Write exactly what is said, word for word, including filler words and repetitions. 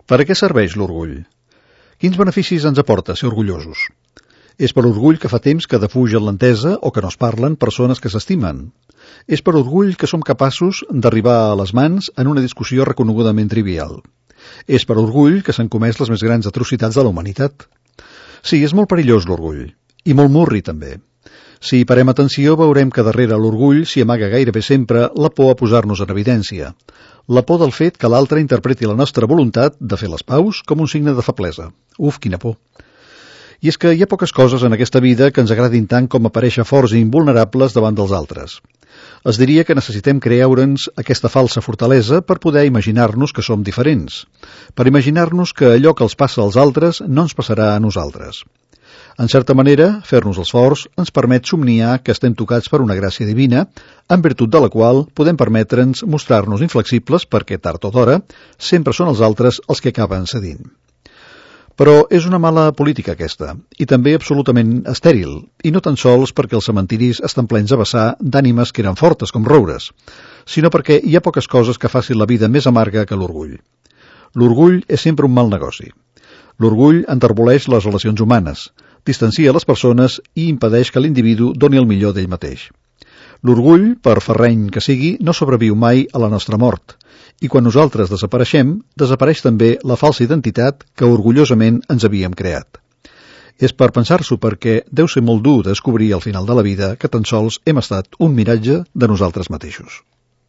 Per a què serveix l'orgull? Quins beneficis ens aporta ser orgullosos? És per orgull que fa temps que defugen l'entesa o que no es parlen persones que s'estimen. És per orgull que som capaços d'arribar a les mans en una discussió reconegudament trivial. És per orgull que s'han comès les més grans atrocitats de la humanitat. Sí, és molt perillós l'orgull. I molt murri, també. Si hi parem atenció, veurem que darrere l'orgull s'hi amaga gairebé sempre la por a posar-nos en evidència. La por del fet que l'altre interpreti la nostra voluntat de fer les paus com un signe de feblesa. Uf, quina por. I és que hi ha poques coses en aquesta vida que ens agradin tant com aparèixer forts i invulnerables davant dels altres. Es diria que necessitem creure'ns aquesta falsa fortalesa per poder imaginar-nos que som diferents, per imaginar-nos que allò que els passa als altres no ens passarà a nosaltres. En certa manera, fer-nos els forts ens permet somniar que estem tocats per una gràcia divina, en virtut de la qual podem permetre'ns mostrar-nos inflexibles perquè, tard o d'hora, sempre són els altres els que acaben cedint. Però és una mala política aquesta, i també absolutament estèril, i no tan sols perquè els cementiris estan plens a vessar d'ànimes que eren fortes com roures, sinó perquè hi ha poques coses que facin la vida més amarga que l'orgull. L'orgull és sempre un mal negoci. L'orgull enterboleix les relacions humanes, distancia les persones i impedeix que l'individu doni el millor d'ell mateix. L'orgull, per ferreny que sigui, no sobreviu mai a la nostra mort, i quan nosaltres desapareixem, desapareix també la falsa identitat que orgullosament ens havíem creat. És per pensar-s'ho perquè deu ser molt dur descobrir al final de la vida que tan sols hem estat un miratge de nosaltres mateixos.